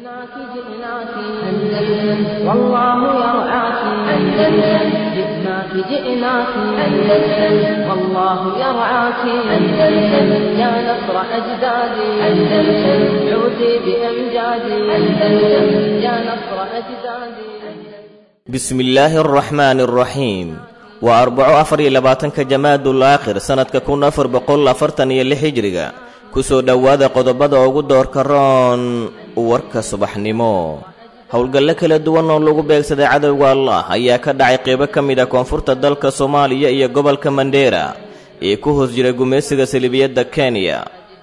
جئناك جئناك أندلس والله يرعاك أندلس. جئناك جئناك أندلس والله يرعاك أندلس. يا نصر أجدادي أندلس عودي بأمجادي أندلس. يا نصر أجدادي. بسم الله الرحمن الرحيم. Waa Arbaco, 24-ka Jamaadul Aakhir, sannadka 1446 Hijriga. Ku soo dhowaada qodobada ugu doorka roon warka subaxnimo. Howlgallo kala duwan oo lagu beegsaday cadowga Allah ayaa ka dhacay qeybo ka mid ah koonfurta dalka Soomaaliya iyo gobolka Mandheera ee ku hoos jira gumaysiga salibiyadda Kenya.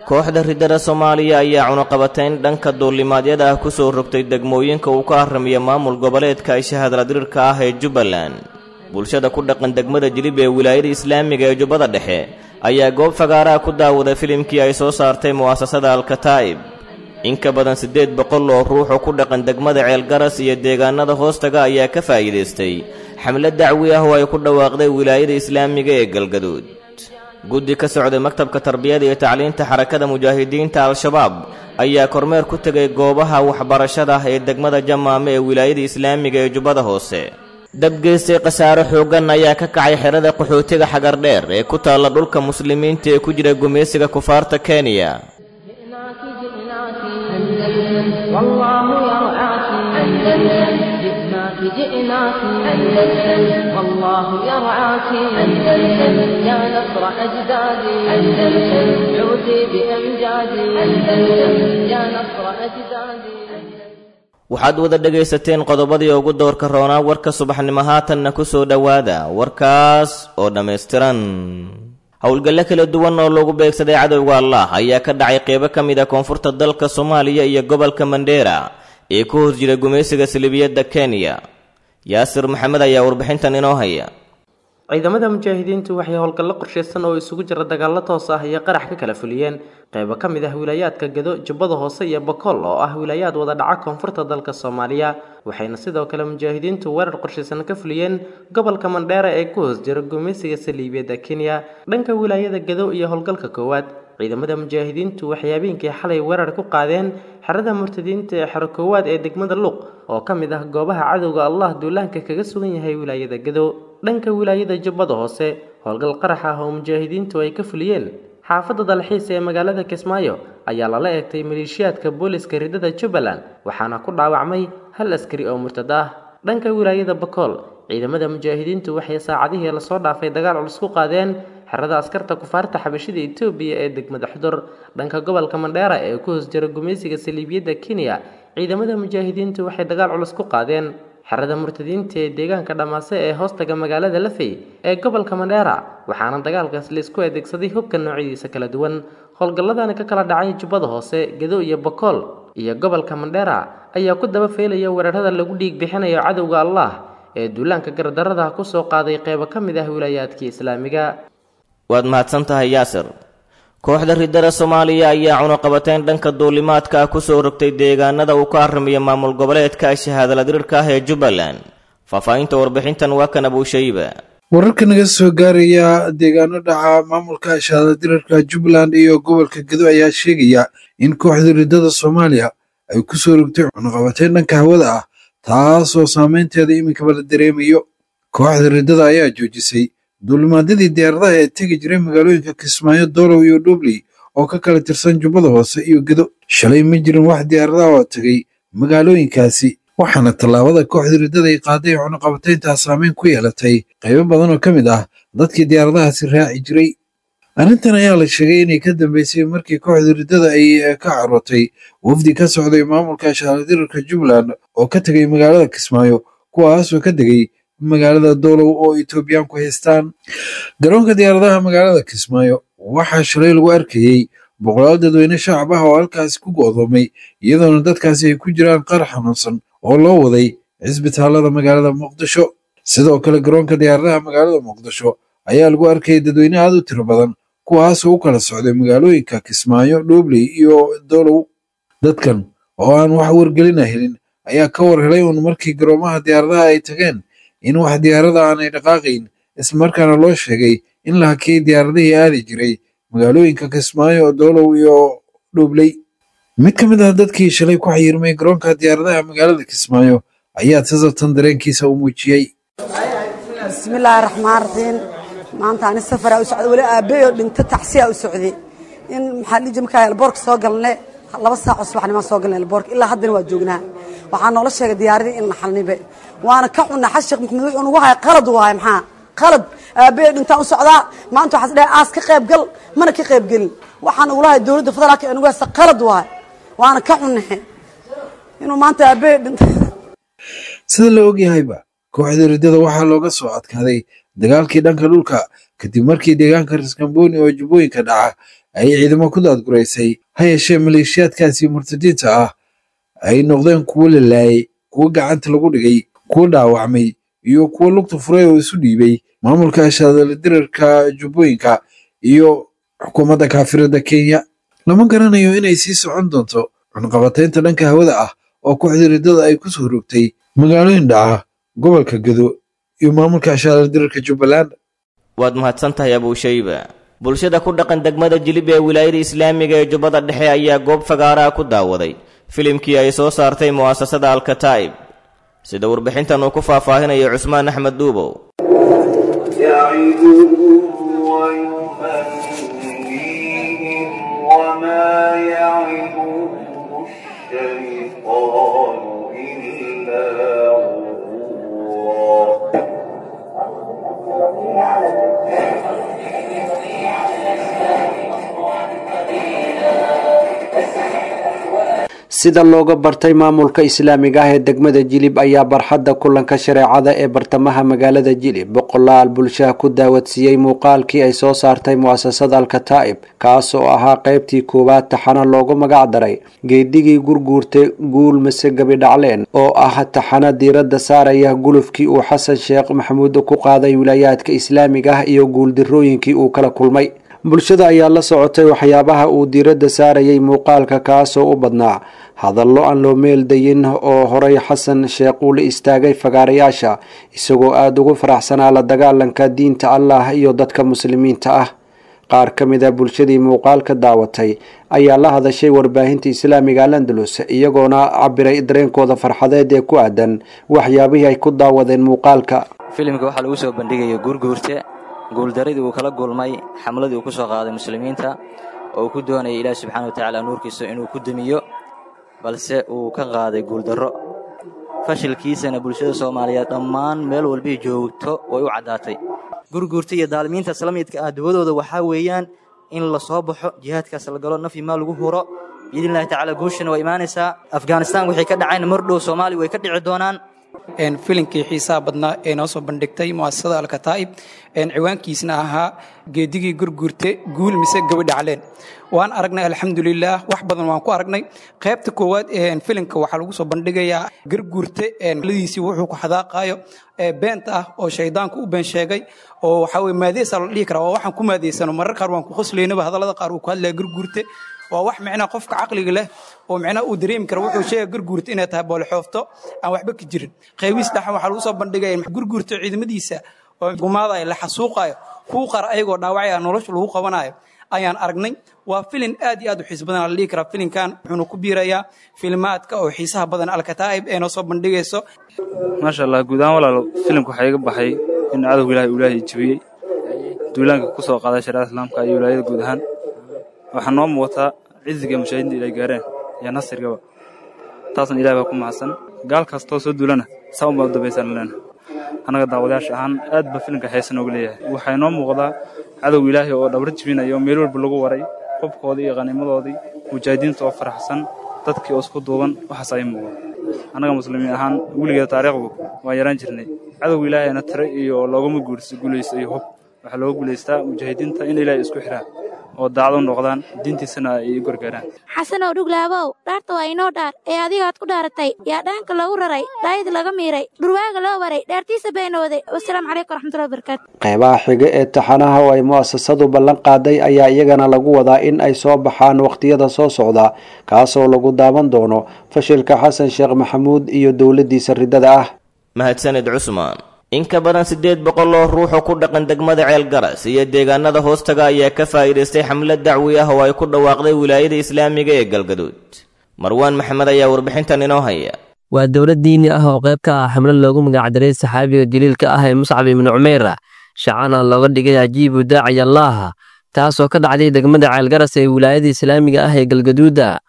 Kooxda riddada Soomaaliya ayaa cunuqabatayn dhanka duulimaadyada ah ku soo rogtay degmooyinka uu ka harramiya maamul goboleedka ay shahadladirirka ah ee Jubbaland. Bulshada ku dhaqan degmada Jilib ee wilaayada islaamiga ee Jubbada Dhexe ayaa goob fagaaraha ku daawaday filimkii ay soo saartay mu'asasada Alkataa'ib. In ka badan 800 oo ruux oo ku dhaqan degmada Ceelgaras iyo deegaanada hoostaga ayaa ka faa'iidaystay xamlad dacwi ah oo ay ku dhawaaqday wilaayada islaamiga ee Galgaduud. Guddi ka socday maktabka tarbiyada iyo tacliinta Xarakada Mujaahidiinta Al-Shabaab ayaa kormeer ku tegay goobaha waxbarashada ee degmada Jamaame ee wilaayada islaamiga ee Jubbada Hoose. Dabgeystay khasaaro xooggan ayaa ka kacay xerada qaxootiga Xagardheer ee ku taalla dhulka muslimiinta ee ku jira gumaysiga kufaarta Kenya. جئناك جئناك أندلس والله يرعاك أندلس. جئناك جئناك أندلس والله يرعاك أندلس. يا نصر أجدادي أندلس عودي بأمجادي أندلس. يا نصر أجدادي. Waxaad wada dhegaysateen qodobadii ugu doorka roonaa warka subaxnimo. Haatanna ku soo dhowaada warkaas oo dhammaystiran. Howlgallo kala duwan oo lagu beegsaday cadowga Allah ayaa ka dhacay qeybo ka mid ah koonfurta dalka Soomaaliya iyo gobolka Mandheera ee ku hor jira gumaysiga salibiyadda Kenya. Yaasir Maxamed ayaa warbixintan inoo haya. Ciidamada mujaahidiintu waxay howlgallo qorshaysan oo isugu jira dagaallo toos ah iyo qarax ka kala fuliyeen qaybo ka mid ah wilaayaadka Gedo, Jubbada Hoose iyo Bakool oo ah wilaayaad wada dhaca koonfurta dalka Soomaaliya. Waxayna sidoo kale mujaahidiintu weerar qorshaysan ka fuliyeen gobolka Mandheera ee ku hoos jira gumaysiga saliibiyadda Kenya. Dhanka wilaayada Gedo iyo howlgalka koowaad, ciidamada mujaahidiintu waxay habeenkii xalay weerar ku qaadeen xerada murtadiinta ee xero koowaad ee degmada Luuq oo ka mid ah goobaha cadowga Allah duulaanka kaga sugan yahay wilaayada Gedo. Dhanka wilaayada Jubbada Hoose, howlgal qarax ah oo mujaahidiintu ay ka fuliyeen xaafadda dalxiis ee magaalada Kismaayo ayaa lala eegtay maleeshiyaadka booliska riddada Jubbaland, waxaana ku dhaawacmay hal askari oo murtad ah. Dhanka wilaayada Bakool, ciidamada mujaahidiintu waxay saacadihii lasoo dhaafay dagaal culus ku qaadeen xerada askarta kufaarta xabashida Itoobiya ee degmada Xudur. Dhanka gobolka Mandheera ee ku hoos jira gumaysiga saliibiyadda Kenya, ciidamada mujaahidiintu waxay dagaal culus ku qaadeen xerada murtadiinta ee deegaanka Dhamaase ee hoostaga magaalada Lafey ee gobolka Mandheera, waxaana dagaalkaas la isku adeegsaday hubka noocyadiisa kala duwan. Howlgalladani ka kala dhacay Jubbada Hoose, Gedo iyo Bakool iyo gobolka Mandheera ayaa ku daba feelaya weerarada lagu dhiig bixinayo cadowga Allah ee duulaanka gardarrada ku soo qaaday qeybo ka mid ah wilaayaadkii islaamiga. Waad mahadsan tahay, Yaasir. Kooxda riddada Soomaaliya ayaa cunuqabateyn dhanka duulimaadka ah ku soo rogtay deegaanada uu ka harramiya maamul goboleedka shahaadaladirirka ah ee Jubbaland. Faahfaahinta warbixintan waa kan Abuushayba. Wararka naga soo gaaraya deegaano dhaca maamulka shahaadadirarka Jubbaland iyo gobolka Gedo ayaa sheegaya in kooxda riddada Soomaaliya ay ku soo rogtay cunuqabateyn dhanka hawada ah, taasoo saameynteeda iminkaba la dareemayo. Kooxda riddada ayaa joojisay duulimaadyadii diyaaradaha ee tegi jiray magaalooyinka Kismaayo, Doolow iyo Dhubley oo ka kala tirsan Jubbada Hoose iyo Gedo. Shalay ma jirin wax diyaaradaha oo tegay magaalooyinkaasi, waxaana tallaabada kooxda riddada ay qaaday ee cunuqabatayntaa saameyn ku yeelatay qaybo badan oo ka mid ah dadkii diyaaradahaasi raaci jiray. Arrintan ayaa la sheegay inay ka dambeysay markii kooxda riddada ay ka carootay wafdi ka socday maamulka shahaadadirarka Jubbaland oo ka tegay magaalada Kismaayo, kuwaasoo ka degay magaalada Doolow oo Itoobiyaanku haystaan. Garoonka diyaaradaha magaalada Kismaayo waxaa shalay lagu arkayey boqolaal dadweyne shacab ah oo halkaasi ku go'doomay, iyadoona dadkaasi ay ku jiraan qaar xanuunsan oo loo waday cisbitaalada magaalada Muqdisho. Sidoo kale garoonka diyaaradaha magaalada Muqdisho ayaa lagu arkayay dadweyne aad u tiro badan, kuwaasoo u kala socday magaalooyinka Kismaayo, Dhuubley iyo Doolow. Dadkan oo aan wax wargelina helin ayaa ka war helay uun markii garoomaha diyaaradaha ay tageen in wax diyaarada aanay dhaqaaqayn, islamarkaana loo sheegay in la hakiyey diyaaradihii aadi jiray magaalooyinka Kismaayo, Doolow iyo Dhuubley. Mid ka mid ah dadkii shalay ku xayirmay garoonka diyaaradaha magaalada Kismaayo ayaa tasabtan dareenkiisa u muujiyey. Bismillaahi raxmaan raxiim. Maanta ani safaraa u socday, weli aabbayo dhinto tacsiyaa u socday. In maxaa dhihi markaa elboorka soo galne 2 saac oo subaxnimaan soo galnay elboorka, ilaa haddana waa joognaa. Waxaa noola sheegay diyaaradii in la xalnibe, waana ka xunnaa. Xasan Sheekh Maxamuud wuxuu nagu haya qalad waaye, maxaa qalad? Aabbayo dhintaan u socdaa maanta, waxaas dhahay aas ka qayb gal, mana ka qayb gelin. Waxaan ugula hay dowladda federaalka ee nagu haysta qalad waaye, waana ka xunnahe inuu maanta aabbayo dhinto. Sida la ogyahayba, kooxda riddada waxaa looga soo adkaaday dagaalkii dhanka dhulka kadib markii deegaanka Raskamboni oo Jubbooyinka dhaca ay ciidamo ku daadguraysay. Ha yeeshee maleeshiyaadkaasi murtadiinta ah ay noqdeen kuwo la laayay, kuwo gacanta lagu dhigay, kuwo dhaawacmay iyo kuwo lugta furay oo isu dhiibay maamulka shaadala dirarka Jubbooyinka iyo xukuumadda kaafirada Kenya. Lama garanayo inay sii socon doonto cunqabataynta dhanka hawada ah oo kooxda riddada ay ku soo rogtay magaalooyin dhaca gobolka Gedo iyo maamulka shaadala dirarka Jubbaland. Waad mahadsan tahay, Abuushayba. Bulshada ku dhaqan degmada Jilib ee wilaayada islaamiga ee Jubbada Dhexe ayaa goob fagaaraha ku daawaday filimkii ay soo saartay mu'asasada Alkataa'ib, sida warbixintan uu ku faahfaahinayo Cusmaan Axmed Duubow. يعدهم ويمنيهم وما يعدهم الشيطان إلا غرورا. Sida looga bartay maamulka islaamiga ah ee degmada Jilib ayaa barxadda kulanka shareecada ee bartamaha magaalada Jilib boqolaal bulshaha ku daawadsiiyey muuqaalkii ay soo saartay mu'asasada Alkataa'ib, kaas oo ahaa qaybtii koowaad taxano loogu magac daray Geedigii Gurguurtay Guul Mise Gabi Dhacleen, oo ah taxano diiradda saaraya gulufkii uu Xasan Sheekh Maxamuud ku qaaday wilaayaadka islaamiga ah iyo guuldirooyinkii uu kala kulmay. Bulshada ayaa la socotay waxyaabaha uu diiradda saarayay muuqaalka, kaasoo u badnaa hadallo aan loo meeldayin oo horay Xasan Sheekh uu la istaagay fagaarayaasha, isagoo aada ugu faraxsanaa la dagaalanka diinta Allah iyo dadka muslimiinta ah. Qaar ka mid a bulshadii muuqaalka daawatay ayaa la hadashay warbaahinta islaamiga Al-Andalus, iyagoona cabiray dareenkooda farxadeed ee ku aadan waxyaabihii ay ku daawadeen muuqaalka. Filimka waxaa lagu soo bandhigaya Guurguurte guuldaradii uu kala gulmay xamladii uu ku soo qaaday muslimiinta oo uu ku doonayay Ilaahi subxaana wa tacaala nuurkiisa inuu ku dumiyo, balse uu ka qaaday guuldarro. Fashilkiisana bulshada Soomaaliyeed dhammaan meel walbii joogto way u caddaatay. Gurguurta iyo daalimiintaas la midka ah duwadooda waxaa weeyaan in la soo baxo, jihaadkaas la galo, naf iyo maal lagu huro biidnillahi tacaala. Guushana waa imaanaysaa. Afghanistan waxay ka dhaceen mar dhow Soomaaliya way ka dhici doonaan. Filinkii xiisaha badnaa ee noo soo bandhigtay mu'asasada Alkataa'ib, ciwaankiisna ahaa Geedigii Gurguurte Guul Mise Gabi Dhacleen, waan aragnay, alxamdulilaah, wax badan waan ku aragnay. Qaybta koowaad ee filimka waxaa lagu soo bandhigayaa Garguurte ladiisii wuxuu ku xadaaqayo beenta ah oo shaydaanku u been sheegay, oo waxaa weye maadeesa la dhihi karaa, waa waxaan ku maadeysano marar qaar waan ku qoslaynaba hadallada qaar uu ku hadlaya Garguurte. Waa wax micnaha qofka caqliga leh oo micnaha uu dareemi kara wuxuu sheegaya Garguurta inay tahay boolxoofto aan waxba ka jirin. Qaybiis dhaxan waxaa lagu soo bandhigaya Gurguurta ciidamadiisa oo gumaadaya, la xasuuqayo, kuwa qaar ayagoo dhaawacaya nolosha lagu qabanayo ayaan aragnay. Waa filin aad iyo aad u xiis badan la dhihi karaa filinkan, wuxuuna ku biirayaa filimaadka oo xiisaha badan Alkataa'ib ee noo soo bandhigayso. Maasha Allah, guud ahaan walaalo, filimka waxaa iga baxay in cadowga Ilahay uu Ilaahay jebiyey duulaanka ku soo qaaday shariicada islaamka iyo wilaayada guud ahaan. Waxaa noo muuqataa ciziga mujaahidiinta ilay gaareen iyo nasrigaba, taasna Ilahay baa ku mahadsan. Gaal kastoo soo duulana saa unbaa u dambaysaan leena. Annaga daawadayaasha ahaan aad ba filimka xiisa noogu leeyahay. Waxaa inoo muuqdaa cadowga Ilaahay oo dhabar jebinayo meel walba lagu waray qobkoodii iyo qanimadoodii, mujaahidiinta oo faraxsan, dadkii oo isku duuban. Waxaas ay muuqda annaga muslimiin ahaan weligeeda taariikhdu waan yaraan jirnay. Cadowga Ilaahayna tiro iyo loogama guulaysto iyo hub, waxaa looga guulaystaa mujaahidiinta in Ilaahay isku xiraan oo daacad u noqdaan, diintiisana ay u gargaaraan. Xasanow Dhuglaabow, dhaarta waa inoo dhaar ee adigaad ku dhaaratay yaa dhaanka loogu raray, dhaayid laga miiray, dhurwaaga loo waray, dhaartiisa beenooday. Wasalaamu calaykum waraxmatullahi wabarakaatu. Qeybaha xiga ee taxanaha oo ay mu'asasadu ballan qaaday ayaa iyagana lagu wadaa in ay soo baxaan wakhtiyada soo socda, kaasoo lagu daawan doono fashilka Xasan Sheekh Maxamuud iyo dowladdiisa riddada ah. Mahadsanid, Cusmaan. In ka badan 800 oo ruux oo ku dhaqan degmada Ceelgaras iyo deegaanada hoostaga ayaa ka faa'iidaystay xamlad dacwi ah oo ay ku dhawaaqday wilaayada islaamiga ee Galgaduud. Marwaan Maxamed ayaa warbixintan inoo haya. Waa dowlad diini ah oo qayb ka ah xamlo loogu magacdaray saxaabiga jaliilka ah ee Muscab ibnu Cumeyr, shacana looga dhigay Ajiibu Daaciy Allaah, taasoo ka dhacday degmada Ceelgaras ee wilaayada islaamiga ah ee Galgaduuda.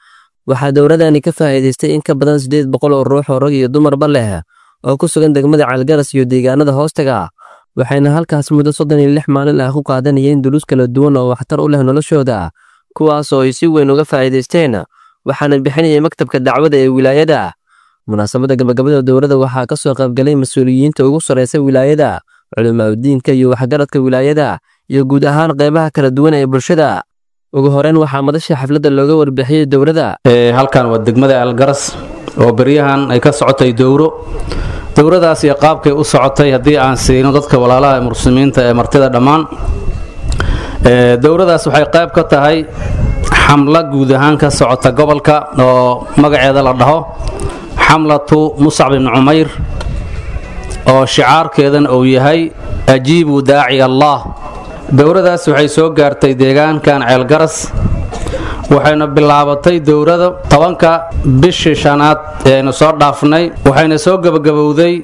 Waxaa dowladani ka faa'iidaystay in ka badan 800 oo ruux oo rag iyo dumarba leh oo ku sugan degmada Ceelgaras iyo deegaanada hoostaga, waxayna halkaas muddo 36 maalin ah ku qaadanayeen duruus kala duwan oo waxtar u leh noloshooda, kuwaas oo ay si weyn uga faa'iidaysteen, waxaana bixinayay maktabka dacwada ee wilaayada. Munaasabadda gabagabada dowladda waxaa ka soo qaybgalay mas-uuliyiinta ugu sarreysa wilaayada, culimaadudiinka iyo waxgaradka wilaayada, iyo guud ahaan qeybaha kala duwan ee bulshada. Ugu horeyn waxaa madasha xafladda looga warbixiyey dowladda. Halkan waa degmada Ceelgaras oo beryahan ay ka socotay dowro. Dowradaas iyo qaabkay u socotay haddii aan siino dadka walaalaha ee muslimiinta ee martida dhammaan, dowradaas waxay qayb ka tahay xamlo guud ahaan ka socota gobolka oo magaceeda la dhaho Xamlatu Muscab ibni Cumayr, oo shicaarkeedana uu yahay Ajiibu Daaci Allah. Dowradaas waxay soo gaartay deegaankan Ceelgaras, waxayna bilaabatay dowrada 10-ka bishii shanaad ee aynu soo dhaafnay, waxayna soo gebagabowday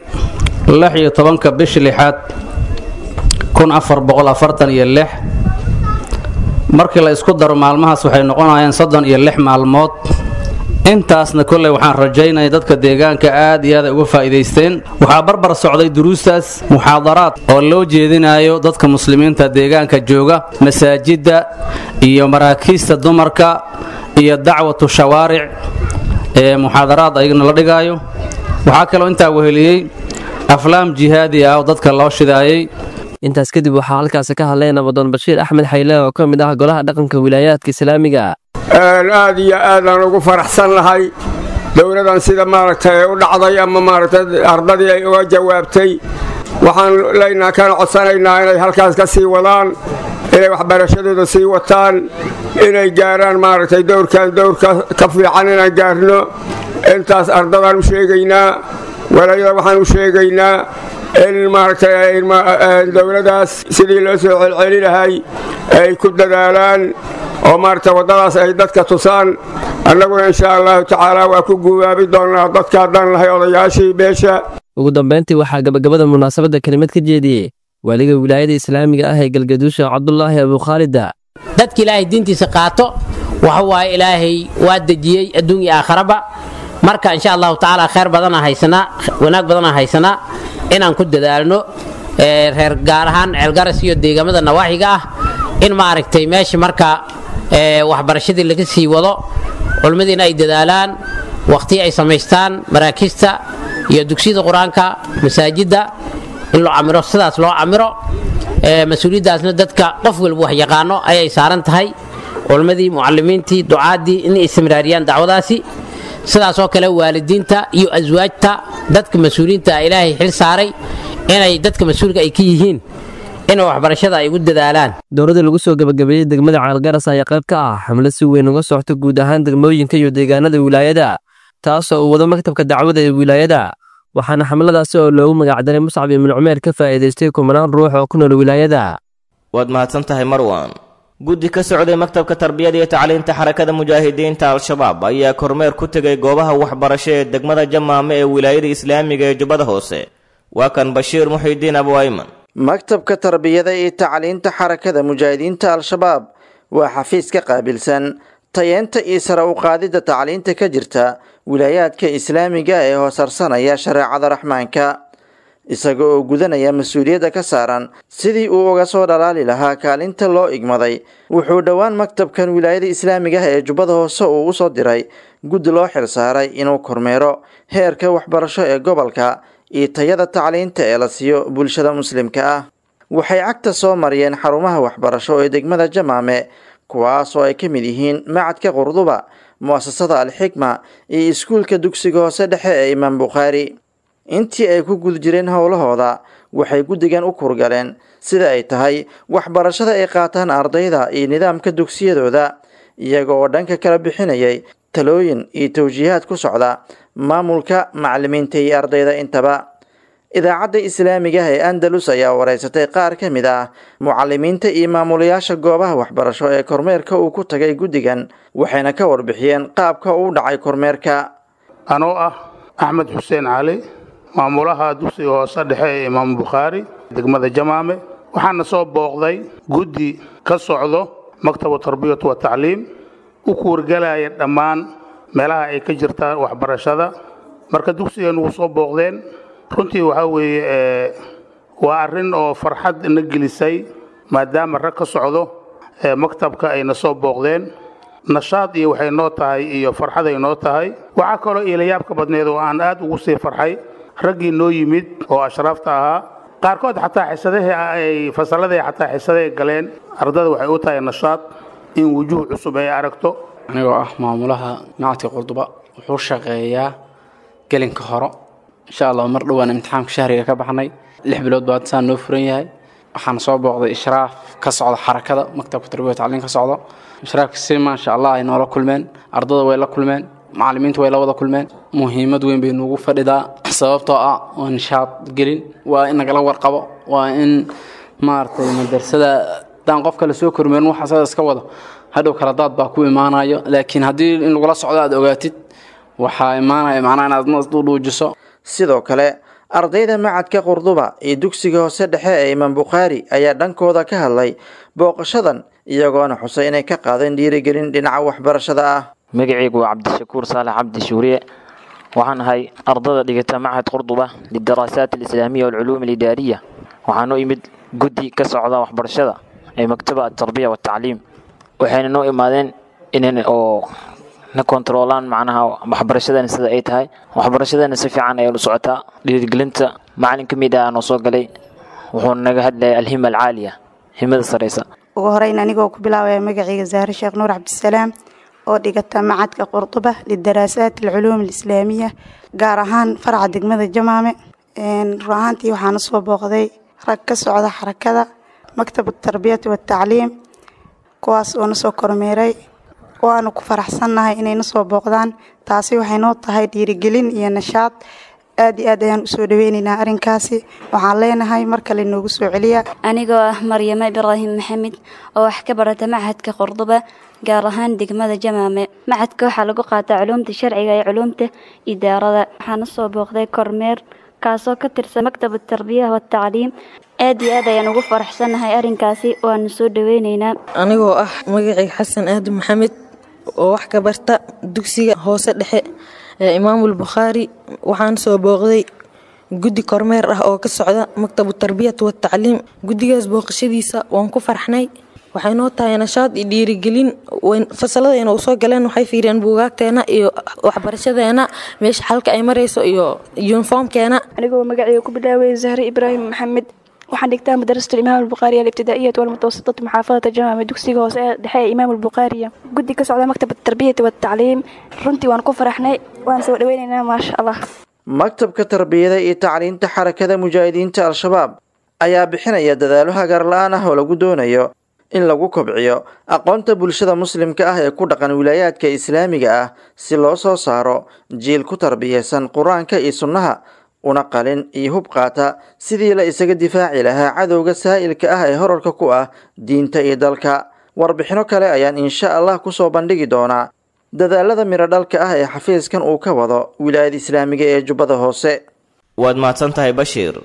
16-ka bishii lixaad 1446. Markii la isku daro maalmahaas waxay noqonayaan 36 maalmood. Intaasna kolley waxaan rajaynaya dadka deegaanka aad iyo aad ay uga faa'iidaysteen. Waxaa barbar socday duruustaas muxaadaraad oo loo jeedinayo dadka muslimiinta deegaanka jooga, masaajidda iyo maraakiista dumarka iyo dacwatu shawaaric ee muxaadaraad ayagana la dhigaayo. Waxaa kaloo intaa weheliyey aflaam jihaadi ah oo dadka loo shidaayey. Intaas kadib waxaa halkaasi ka hadlay Nabadoon Bashiir Axmed Xayle oo ka mid ah golaha dhaqanka wilaayaadka islaamiga. Aad iyo aadaan ugu faraxsan lahay dowladan sida maaragtay u dhacday ama maaragtay ardadii ay uga jawaabtay. Waxaan leynaa kana codsanaynaa inay halkaas ka sii wadaan, inay waxbarashadooda sii wataan, inay gaaraan maaragtay dowrkan dowrka ka fiican inaan gaarno. Intaas ardadaan u sheegaynaa. Walaayada waxaan u sheegaynaa in maaragtay dowladaas sidii loo soo celceli lahay ay ku dadaalaan oo maaragtay waddadaas ay dadka tusaan. Annaguna insha Allahu tacaala waa ku guubaabi doonnaa dadka haddaan lahay odayaashii beesha. Ugu dambeyntii waxaa gabagabada munaasabadda kelimad ka jeediyey waaliga wilaayada islaamiga ah ee Galgaduusha, Cabdulaahi Abukhaalida. Dadka Ilaahay diintiisa qaato waxa waaye Ilaahay waa dejiyey adduun iyo aakharaba. Marka insha Allahu tacaala khayr badanaa haysanaa, wanaag badanaa haysanaa, inaan ku dadaalno reer gaar ahaan Ceelgaras iyo deegaamada nawaaxiga ah in maaragtay meesha marka waxbarashadii laga sii wado, culimmadiina ay dadaalaan, waqti ay samaystaan maraakiista iyo dugsiyada qur-aanka, masaajidda in loo camiro, sidaas loo camiro. Mas-uuliyaddaasna dadka qof walba wax yaqaano ayay saaran tahay, culimmadii, mucallimiintii, ducaaddii, inay istimraariyaan dacwadaasi. Sidaas oo kale waalidiinta iyo aswaajta, dadka mas-uuliyiinta Ilaahay xil saaray inay dadka mas-uulka ay ka yihiin in waxbarashada ay ugu dadaalaan. Dowladda lagu soo gabagabeeyey degmada Ceelgaras ayaa qayb ka ah xamlo si weyn uga socota guud ahaan degmooyinka iyo deegaanada wilaayada, taasoo uu wado maktabka dacwada ee wilaayada. Waxaana xamladaasi oo loogu magacdaray Muscab ibnu Cumeer ka faa'iidaystay kumanaan ruux oo ku nool wilaayada. Waad mahadsan tahay, Marwan. Guddi ka socday maktabka tarbiyada iyo tacliinta Xarakada Mujaahidiinta Al-Shabaab ayaa kormeer ku tegay goobaha waxbarasho ee degmada Jamaame ee wilaayada islaamiga ee Jubbada Hoose. Waa kan Bashiir Muxiidiin Abu Ayman. Maktabka tarbiyada iyo tacliinta Xarakada Mujaahidiinta Al-Shabaab waa xafiis ka qaabilsan tayeenta iyo sare u qaadidda tacliinta ka jirta wilaayaadka islaamiga ee hoosarsanaya shareecada Raxmaanka, isaga oo gudanaya mas-uuliyadda ka saaran sidii uu uga soo dhalaali lahaa kaalinta loo igmaday. Wuxuu dhowaan maktabkan wilaayada islaamiga ah ee Jubbada Hoose uu usoo diray guddi loo xilsaaray inuu kormeero heerka waxbarasho ee gobolka iyo tayada tacliinta ee la siiyo bulshada muslimka ah. Waxay cagta soo mariyeen xarumaha waxbarasho ee degmada Jamaame, kuwaas oo ay ka mid yihiin Macadka Qurduba, Mu'asasada Alxikma iyo iskuulka dugsiga hoose dhexe ee Imaam Bukhaari. Intii ay ku guda jireen howlahooda, waxay guddigan u kurgaleen sida ay tahay waxbarashada ay qaataan ardayda iyo nidaamka dugsiyadooda, iyaga oo dhanka kala bixinayay talooyin iyo tawjiihaad ku socda maamulka, macalimiinta iyo ardayda intaba. Idaacadda islaamiga ah ee Andalus ayaa wareysatay qaar ka mid ah mucalimiinta iyo maamulayaasha goobaha waxbarasho ee kormeerka uu ku tagay guddigan, waxayna ka warbixiyeen qaabka uu dhacay kormeerka. Anoo ah Axmed Xuseen Cali, maamulaha dugsiga hoose dhexe ee Imaam Bukhaari, degmada Jamaame, waxaana soo booqday guddi ka socdo Maktabu Tarbiyatu wa Tacliim, u kuurgalaya dhammaan meelaha ay ka jirta waxbarashada. Marka dugsigan wuu soo booqdeen. Runtii waxaa weeye waa arrin oo farxad na gelisay, maadaama rag ka socdo maktabka ayna soo booqdeen. Nashaad iyo waxay noo tahay iyo farxad ay noo tahay. Waxaa kaloo iilayaabka badneed oo aan aad ugu sii farxay raggii noo yimid oo ashraafta ahaa, qaarkood xataa xisadahii ay fasalladii xataa xisaday galeen. Ardada waxay u tahay nashaad in wujuuh cusub ay aragto. Anigoo ah maamulaha macadka Qurduba, wuxuu shaqeeyaa gelinka hore. Insha Allah mar dhowaan imtixaanka shahriga ka baxnay, 6 bilood baa saan noo furan yahay. Waxaan soo booqday ishraaf ka socda xarakada Maktabka Tarbiya Tacliin ka socdo. Ishraafka si maasha Allah ay noola kulmeen, ardada way la kulmeen, macallimiintu way la wada kulmeen. Muhiimad weyn bay noogu fadhidaa, sababtoo ah waa nishaad gelin, waa in nagala warqabo, waa in maaragtay madrasada haddaan qof kale soo kormeerin waxa asaga iska wado hadhow kala daad baa ku imaanayo. Laakiin haddii in lagula socdo aad ogaatid, waxaa imaanaya macnaha inaad isdhuudhuujiso. Sidoo kale ardayda macadka Qurduba iyo dugsiga hoose dhexe ee Imaam Bukhaari ayaa dhankooda ka hadlay booqashadan, iyagoona xusay inay ka qaadeen dhiirigelin dhinaca waxbarashada ah. Magacaygu waa Cabdishakuur Saalax Cabdi Shuuriye. Waxaan ahay ardada dhigata Machad Qurduba lidaraasaat alislaamiya walculuum alidaariya. Waxaan u imid guddi ka socda waxbarashada ee Maktaba Atarbiya watacliim. Waxayna noo imaadeen inan oo na kontaroolaan macnaha waxbarashadana sida ay tahay. Waxbarashadana si fiican ayay u socotaa. Dhiirigelinta macalin ka mid ah noo soo galay, wuxuuna naga hadlayay alhima alcaaliya, himada sareysa. Ugu horeyn, anigoo ku bilaabaya magacayga Zahre Sheekh Nuur Cabdisalaam oo dhigata macadka Qurduba lidaraasaat alculuum alislaamiya, gaar ahaan faraca degmada Jamaame, run ahaantii waxaana soo booqday rag ka socda xarakada Maktab Tarbiyati watacliim, kuwaas oo na soo kormeeray. Waanu ku faraxsannahay inay na soo booqdaan. Taasi waxay noo tahay dhiirigelin iyo nashaad. Aad iyo aad ayaan usoo dhaweynaynaa arrinkaasi. Waxaan leenahay mar kale noogu soo celiya. Anigoo ah Maryamo Ibraahim Maxamed oo wax ka barata machadka Qurduba, gaar ahaan degmada Jamaame. Machadka waxaa lagu qaataa culuumta sharciga iyo culuumta idaarada. Waxaana soo booqday kormeer kaasoo ka tirsan Maktab Tarbiya watacliim. Aad iyo aad ayaan ugu faraxsannahay arrinkaasi, waanu soo dhaweynaynaa. Anigoo ah magacayga Xasan Aadan Maxamed oo wax ka barta dugsiga hoose dhexe ee Imaamul Bukhaari, waxaan soo booqday guddi kormeer ah oo ka socda Maktabu Tarbiyat watacliim. Guddigaas booqashadiisa waan ku farxnay. Waxay noo tahay nashaad iyo dhiirigelin. Fasaladayna u soo galeen, waxay fiiriyeen buugaagteena iyo waxbarashadeena meesha xalka ay marayso iyo yuniformkeena. Anigoo magacayga ku bilaabay Zahre Ibraahim Maxamed, waxaan dhigtaa madrasatu Imaam Albukhaariya alibtidaa'iyat walmutawasitatu, muxaafadata Jamaame, dugsiga hoose ee dhexe ee Imaam Albukhaariya. Guddi ka socda Maktab Tarbiyati watacliim, runtii waan ku faraxnay, waan soo dhaweynaynaa, maasha Allah. Maktabka Tarbiyada iyo Tacliinta Xarakada Mujaahidiinta Al-Shabaab ayaa bixinaya dadaalo hagar la-aan ah oo lagu doonayo in lagu kobciyo aqoonta bulshada muslimka ah ee ku dhaqan wilaayaadka islaamiga ah, si loo soo saaro jiil ku tarbiyeysan Qur-aanka iyo sunnaha, una qalin iyo hub qaata sidii la isaga difaaci lahaa cadowga saa'ilka ah ee horarka ku ah diinta iyo dalka. Warbixino kale ayaan insha Allah kusoo bandhigi doonaa dadaalada miradhalka ah ee xafiiskan uu ka wado wilaayada islaamiga ee Jubbada Hoose. Waad mahadsan tahay, Bashiir.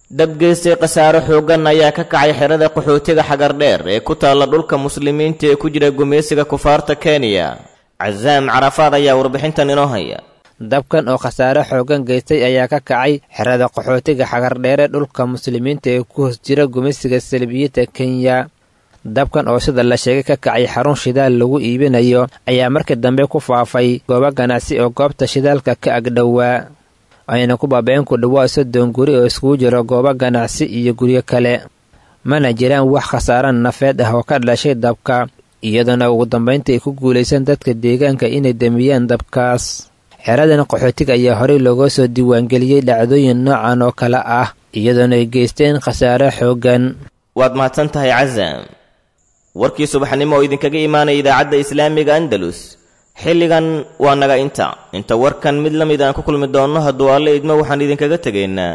Dab geystay khasaaro xooggan ayaa ka kacay xerada qaxootiga Xagardheer ee ku taalla dhulka muslimiinta ee ku jira gumaysiga kufaarta Kenya. Casaam Carafaad ayaa warbixintan inoo haya. Dabkan oo khasaare xooggan geystay ayaa ka kacay xerada qaxootiga Xagardheere, dhulka muslimiinta ee ku hoos jira gumaysiga salbiyiinta Kenya. Dabkan oo sida la sheegay ka kacay xarun shidaal lagu iibinayo ayaa markii dambe ku faafay goobo ganacsi oo goobta shidaalka ka agdhowaa, ayna ku baaba'een ku dhowaa 30 guri oo iskugu jiro goobo ganacsi iyo guryo kale. Mana jiraan wax khasaare nafeed ah oo ka dhashay dabka, iyadoona ugu dambaynta ay ku guulaysan dadka deegaanka inay damiyaan dabkaas. Xeradan qaxootiga ayaa horey looga soo diiwaangeliyey dhacdooyin noocan oo kale ah, iyadoona ay geysteen khasaare xooggan. Waad mahadsan tahay, Casaam. Warkii subaxnimo oo idinkaga imaanaya idaacadda islaamiga Andalus xilligan waa naga inta warkan mid la mid aan ku kulmi doonno hadduu Alle idmo, waxaan idinkaga tegaynaa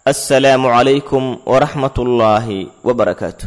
Assalaamu calaykum waraxmatullaahi wabarakaatu.